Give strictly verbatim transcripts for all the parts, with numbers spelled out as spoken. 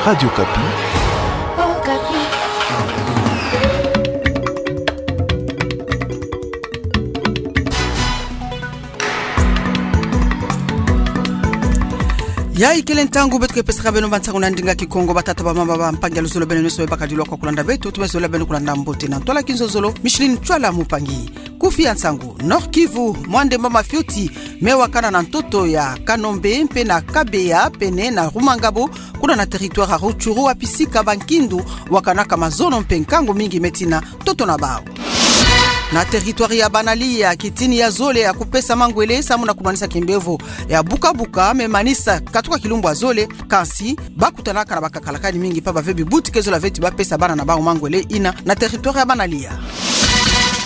Radio Okapi. Yayi kele ntangu beto ke pesaka beno bansangu na ndinga Kikongo. Batata, bamama, bampangi ya luzolo, beno nyonso me bakadilu kwa kulanda beto, tumesolo beno kulanda mbote na ntwala kinzonzolo. Micheline Ntwala Mupangi. Kufi ya nsangu. Nord-Kivu, mwa ndemba mafioti me wakana na ntoto ya Kanombe mpe na Kabeya, pene na Rumangabo, kuna na territoire ya Rutshuru, wapi sika bankindu wakanaka mazono mpe nkangu mingi me tina ntoto na bau. Na territoire ya Banalia, kitini ya zole ya kupesa mangwele samu na kumanisa kimbevo ya buka-buka me manisa katuka kilumbu ya zole, kansi bakutanaka na bakakalakani mingi, pamba ve bibuti ke zola ve ti bapesa bana na bau mangwele yina na territoire ya Banalia.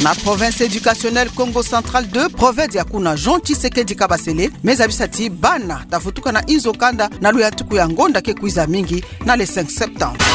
Na province éducationnelle Kongo Central deux, proverbe ya kuna Jean Tshisekedi Kabasele me zabisa ti bana ta vutuka na inzo kanda na luyantuku ya ngonda ke kwiza mingi na le cinq septembre.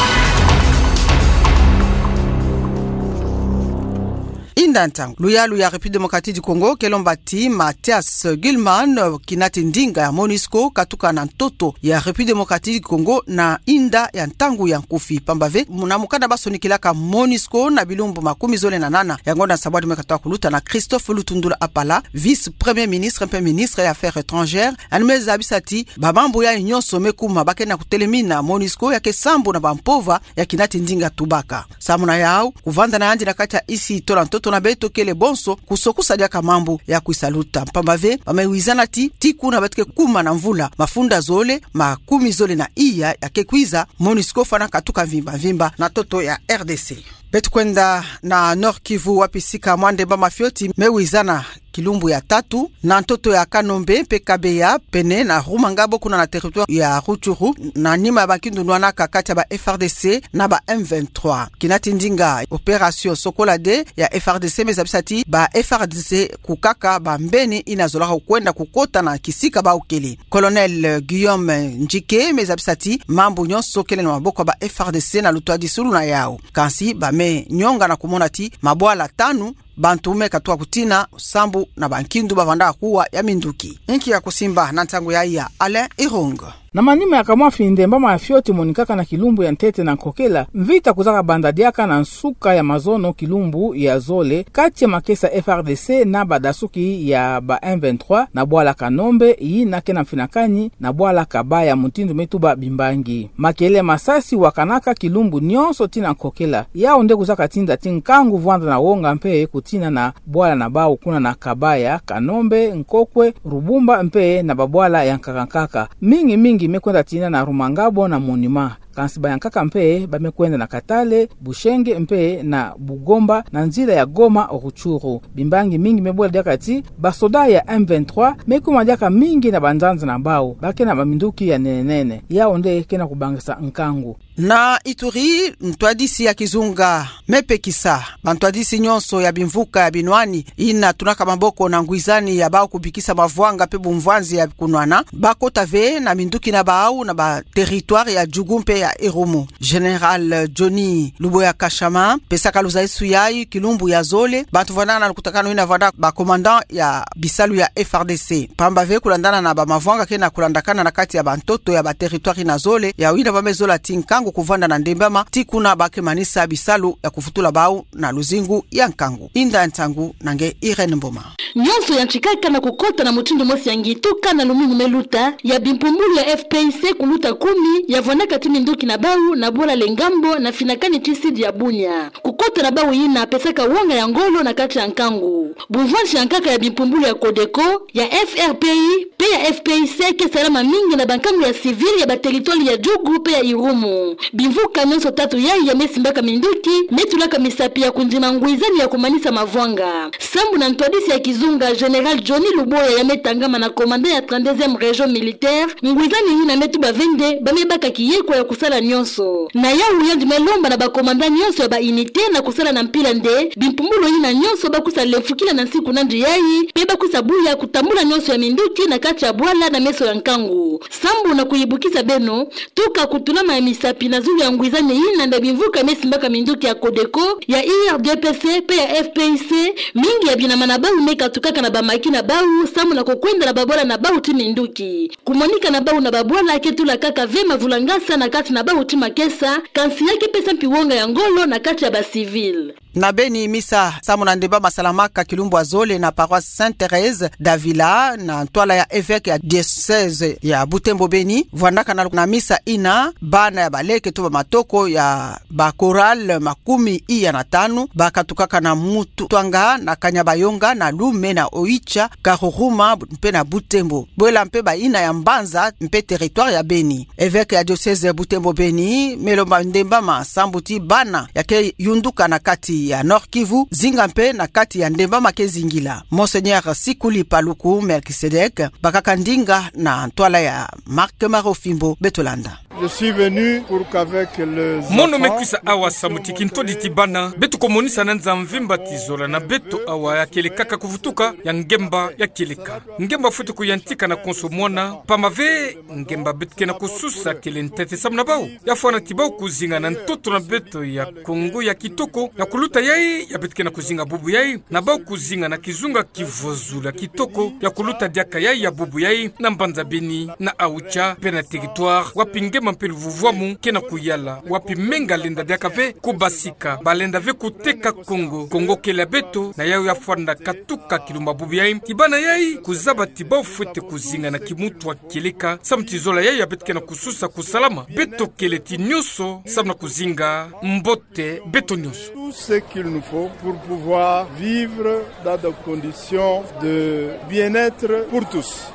Inda ntangu, luyalu ya République démocratique du Congo ke lomba ti Mathias Gilman, kina ti ndinga ya MONUSCO, katuka na ntoto ya République démocratique du Congo na inda ya ntangu ya nkufi. Pamba ve, na mukanda basonikilaka MONUSCO na bilumbu makumi zole na nana ya ngonda nsambwadi me katuka kuluta, na Christophe Lutundula Apala, vice-premier ministre mpe ministre ya Affaires étrangères, yandi me zabisa ti bamambu yayi nyonso me kuma ba ke na kutelemina MONUSCO ya ke sambu na bampova ya kina ti ndinga tubaka. Samu na yau, kuvanda na yandi na kati ya insi tola ntoto na beto kele bonso kusokusa diaka mambu ya kwisa luta. Pamba ve, ba me wizana ti, ti kuna beto ke kuma na mvula mafunda zole makumi zole na iya ya ke kwiza, MONUSCO fwana katuka mvimba-mvimba na ntoto ya R D C. Beto kwenda na Nord-Kivu, wapi sika mwa ndemba mafioti me wizana kilumbu ya tatu na ntoto ya Kanombe mpe Kabeya, pene na Rumangabo, kuna na territoire ya Rutshuru, na nima ya bankindu nwanaka kati ya ba F R D C na ba M vingt-trois. Kina ti ndinga opération Sokola deux ya F R D C me zabisa ti ba F R D C kukaka bambeni yina zolaka kwenda kukota na kisika bau kele. Colonel Guillaume Ndjike me zabisa ti mambu nyonso kele na maboko ya ba F R D C na lutwadisulu na yau. Kansi ba me nyonga na kumona ti mabwala tanu, bantu me katuka kutina, sambu na bankindu bavanda kuwa ya minduki. Inki ya kusimba na ntangu yayi ya Alain Irung. Na manima ya kamwafi, ndemba mafioti monikaka na kilumbu ya ntete na nkokela, mvita kwiza kabanda diaka na nsuka ya mazono kilumbu ya zole kati ya makesa F R D C na badasuki ya ba M vingt-trois na bwala Kanombe, yina ke na mfinakani na bwala Kabaya, mutindu me tuba bimbangi. Makele masasi wakanaka kilumbu nyonso tii na nkokela. Yau nde kwiza katinda ti nkangu vwanda na wonga mpe kutina na bwala na bau kuna na Kabaya, Kanombe, Nkokwe, Rubumba mpe na babwala ya nkaka-nkaka. Mingi-mingi me kwenda tina na Rumangabo na Monima. Kansi bayankaka mpe ba me kwenda na Katale, Bushenge mpe na Bugomba na nzila ya Goma Rutshuru. Bimbangi mingi me bwela diaka ti basoda ya M vingt-trois me kuma diaka mingi na banzanza na bau, ba ke na baminduki ya nene-nene. Yau nde ke na kubangisa nkangu. Na Ituri, ntwadisi ya kizunga me pekisa bantwadisi nyonso ya bimvuka ya binwani yina tunaka maboko na ngwizani ya bau kubikisa mavwanga mpe bumvwanzi ya kunwana, ba kota ve na minduki na bau na ba territoire ya Djugu mpe ya Irumu. Général Johnny Luboya Kashama pesaka luzaisu yayi kilumbu ya zole, bantu vandaka na lukutakanu yina vanda ba commandant ya bisalu ya F R D C. Pamba ve, kulandana na bamavwanga ke na kulandakana na kati ya bantoto ya ba territoire yina zole, yau yina ba me zola ti nkangu kuvanda na ndembama tii kuna ba ke manisa bisalu ya kuvutula bau na luzingu ya nkangu. Inda ntangu na nge Irène Mboma. Nyonso yantikaka na kukota na mutindu mosi ya ngi tuka na lumingu me luta, ya bimpumbulu ya F P I C kuluta kumi ya vwandaka ti minduki na bau na bwala Lengambo na finakani ti sud ya Bunia. Kukota na bau yina pesaka wonga ya ngolo na kati ya nkangu. Bumvwanzi ya nkaka ya bimpumbulu ya Codeco, ya F R P I mpe ya F P I C ke salama mingi na bankangu ya civil ya ba territoire ya Djugu mpe ya Irumu. Bimvuka nyonso tatu yayi ya me simbaka minduki me tulaka misapi ya kundima ngwizani ya kumanisa mavwanga. Sambu na ntwadisi ya kizunga Général Johnny Luboya ya me tangama na commandant ya trente-deuxième région militaire, ngwizani yina me tuba ve nde ba me baka kiyeko ya kusala nyonso. Na yau yandi me lomba na ba commandant nyonso ya ba unité na kusala na mpila nde bimpumbulu yina nyonso ba kwisa lemfukila na nsi kuna ndu yayi, mpe ba kwisa buya kutambula nyonso ya minduki na kati ya bwala na meso ya nkangu. Sambu na kuyibukisa beno, tuka kutulama ya misapi na zulu ya ngwizani yina nda bimvuka me simbaka minduki ya Codeco, ya I R D P C mpe ya F P I C, mingi ya binama na bau me katukaka na bamaki na bau, sambu na kukwenda na babwala na bau ti minduki. Kumonika na bau na babwala ke tula kaka ve mavulangasa na kati Na bauti makesa, kansi ya ke pesa mpi wonga ya ngolo na kati ya ba civil. Na beni misa samu na ndemba masalamaka kilumbu ya zole na paroisse Sainte Thérèse d'Avila, na ntwala ya évêque ya diocèse ya Butembo Beni, vwandaka na misa ina, bana ya baleke to ba matoko ya ba chorale makumi iya na tanu, bakatukaka na Mutu Twanga, na Kanyabayonga, na Lume, na Oicha, Karuruma, mpe na Butembo. Bwela mpe ba ina ya mbanza mpe territoire ya Beni. Évêque ya diocèse ya Butembo Beni, me lomba ndemba ma sambu ti bana ya ke yunduka na kati ya Nord-Kivu, zinga mpe na kati ya ndemba ma ke zingila. Monseigneur Sikuli Paluku Melchisédek, bakaka ndinga na ntwala ya Marc Marofimbo, beto landa. Je suis venu pour qu'avec les enfants, nous puissions montrer... Mono me kwisa awa samu ti kintwadi ti bana, beto komonisa na nza mvimba ti zola na beto awa ya kele kaka kuvutuka, ya ngemba ya kieleka. Ngemba fwete kuyantika na konso mwana, pamave ngemba beto kena kususa kele ntete samu na bau. Ya fwana ti bau kuzinga na ntoto na beto ya Kongo ya kitoko, ya kuluta yai ya beto kena kuzinga bubu yai, na bau kuzinga na kizunga ki vozula kitoko, ya kuluta diaka yai ya bubu yai, na mbanza Beni, na Oicha, mpe na territoire, wapi ngemba mpe luvuvwamu kena kuyala, wapi menga lenda diaka ve kubasika, balenda ve kuteka Kongo, Kongo kele ya beto, na yau ya fwana katuka kilumbu ya bubu yai, ti bana yai, kuzaba ti bau fwete kuzinga na kimutu wa kieleka, samu ti zola yai ya beto kena kususa kusalama, beto kele ti nyonso, samu na kuzinga mbote beto nyonso. Tout ce qu'il nous faut pour pouvoir vivre dans des conditions de bien-être pour tous.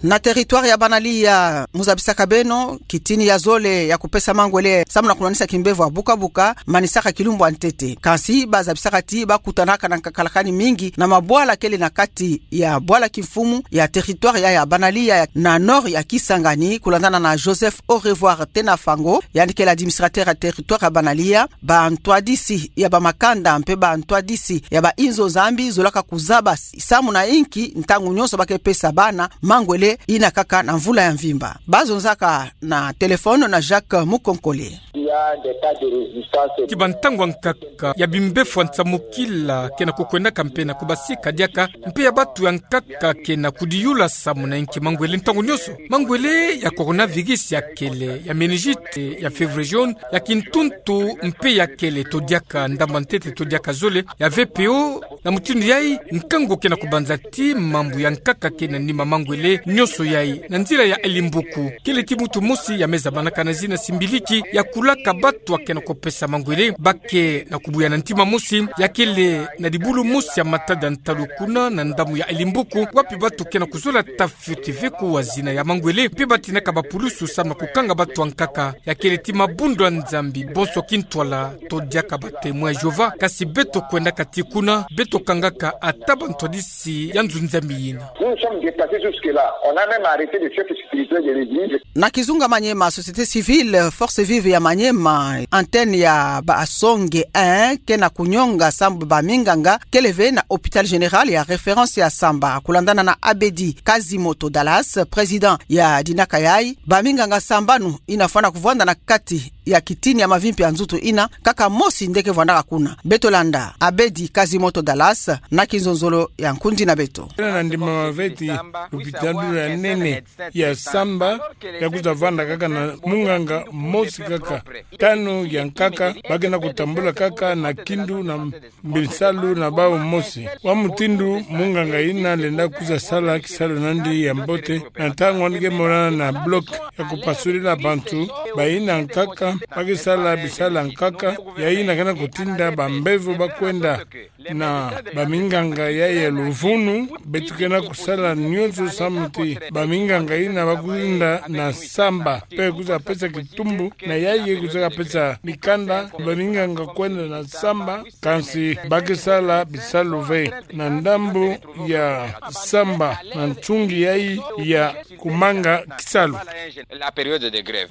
Na territoire ya Banalia, mu zabisaka beno, kitini ya zole ya kupesa mangwele samu na kunwanisa kimbevo ya buka-buka, manisaka kilumbu ya ntete. Kansi ba zabisaka ti ba kutanaka na nkakalakani mingi na mabwala kele na kati ya bwala kimfumu ya territoire ya, ya Banalia na nord ya Kisangani, kulandana na Joseph Au Revoir Tenafango, yandi kele administrateur ya territoire ya Banalia. Ba ntwadisi ya ba makanda mpe ba ntwadisi ya ba inzo zambi zolaka kuzaba samu na inki ntangu nyonso ba ke pesa bana mangwele ina kaka na mvula ya mvimba. Ba zonzaka na téléphone na Jacques Mukonkole. Ti ba ntangu ya nkaka ya bimbevo ya nsamukila kena kukwendaka mpe na kubasika diaka, mpe ya batu ya nkaka kena kudiyula samu na inki mangwele ntangu nyonso. Mangwele ya coronavirus ya kele, ya méningite, ya fièvre jaune, ya kintuntu mpe ya kele to diaka ndambu ya ntete to diaka zole, ya V P O, na mutindu yai, nkangu kena kubanza ti mambu ya nkaka kena nima mangwele nyonso yai, na nzila ya Elimbuku. Kele ti mutu mosi ya me zabanaka na zina Simbiliki, ya kulaka batu ya kena kupesa mangwele, ba ke na kubuya na ntima mosi, ya kele na dibulu mosi ya matada ntalu kuna na ndambu ya Elimbuku, wapi batu kena kuzola ta fioti ve kuwa zina ya mangwele, mpe ba tinaka bapulusu samu na kukanga batu ya nkaka. Ya kele ti mabundu ya Nzambi, bonso kintwala, to diaka ba Témoins de Jéhovah, kasi beto kwendaka ti kuna, beto kangaka ata ba ntwadisi ya nzo Nzambi yina. Nous nous sommes dépassés jusque-là. On a même arrêté les chefs spirituels de l'église. Na kizunga Maniema, société civile, force vive ya Maniema, antenne ya ba Asonge un, kena kunyonga sambu ba minganga kele ve na hôpital général ya référence ya Samba. Kulandana na Abedi Kazimoto Dallas, président ya dinaka yai, ba minganga sambanu ina fwana kuvwanda na kati ya kitini ya mavimpi ya nzutu ina, kaka mosi nde ke vwandaka kuna. Beto landa Abedi Kazimoto Dallas na kinzonzolo ya nkundi na beto. Kena na ndimama ve ti lupitalu ya nene ya Samba ya kwiza vwanda kaka na munganga mosi kaka. Tanu ya nkaka ba kena kutambula kaka na kindu na bisalu na bau mosi. Wa mutindu munganga ina lenda kwiza sala kisalu na yandi ya mbote, na ntangu yandi ke mona na bloc ya kupasulila bantu, ba ina nkaka ba ke sala bisalu ya nkaka, ya ina kena kutinda bambevo ba kwenda na ba minganga yai ya luvunu. Beto kena kusala nyonso samu ti ba minganga ina ba kwenda na Samba, mpe kwiza pesa kitumbu na yai, kwiza pesa mikanda ba minganga kwenda na Samba. Kansi ba ke sala bisalu ve na ndambu ya Samba na nsungi yai ya kumanga kisalu.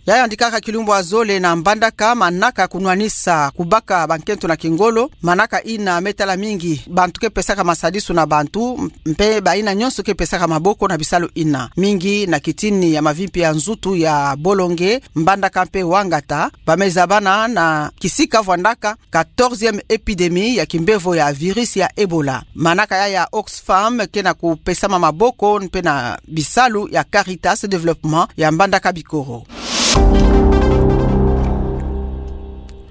Yayandi kaka kilumbu ya zole na Mbandaka, manaka kunwanisa kubaka bankento na kingolo, manaka ina me tala mingi bantu ke pesaka masadisu na bantu, mpe ba ina nyonso ke pesaka maboko na bisalu ina. Mingi na kitini ya mavimpi ya nzutu ya Bolonge, Mbandaka mpe Wangata, ba me zabana na kisika vwandaka quatorzième épidémie ya kimbevo ya virus ya Ebola. Manaka yai ya Oxfam kena kupesama maboko mpe na bisalu ya Caritas Développement ya Mbandaka Bikoro.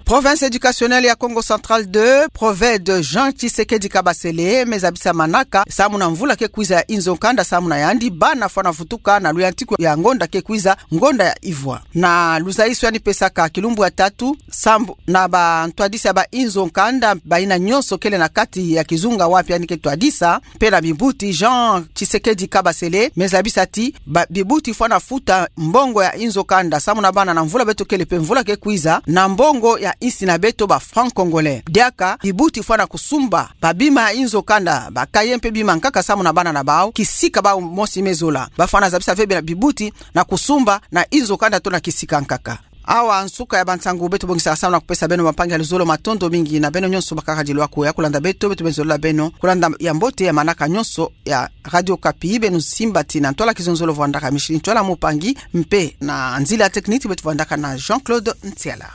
Province éducationnelle ya Kongo Central deux, Proved, Jean Tshisekedi Kabasele me zabisa manaka samu na mvula ke kwiza ya inzo nkanda samu na yandi bana fwana vutuka na luyantiku ya ngonda ke kwiza, ngonda ya ivwa. Na luzaiso yandi pesaka kilumbu ya tatu, sambu na bantwadisi ya ba inzo nkanda, bayina nyonso kele na kati ya kizunga wapi yandi ke twadisa, mpe na bibuti, Jean Tshisekedi Kabasele me zabisa ti ba bibuti fwana futa mbongo ya inzo nkanda samu na bana na mvula beto kele mpe mvula ke kwiza, na mbongo ya insi na beto ba francs congolais. Diaka bibuti fwana kusumba ba bima ya inzo nkanda, ba cahier mpe bima nkaka samu na bana na bau, kisika bau mosi me zola. Ba fwana zabisa ve bia bibuti na kusumba na inzo nkanda to na kisika nkaka. Awa nsuka ya bansangu beto bongisaka samu na kupesa beno, bampangi ya luzolo, matondo mingi na beno nyonso bakaka dilwa ko ya kulanda beto, beto beno zololo beno kulanda ya mbote ya manaka nyonso ya Radio Okapi. Beno simba tii na ntwala kizonzolo vwandaka Micheline Ntwala Mumpangi, mpe na nzila technique beto vwandaka na Jean-Claude Ntiala.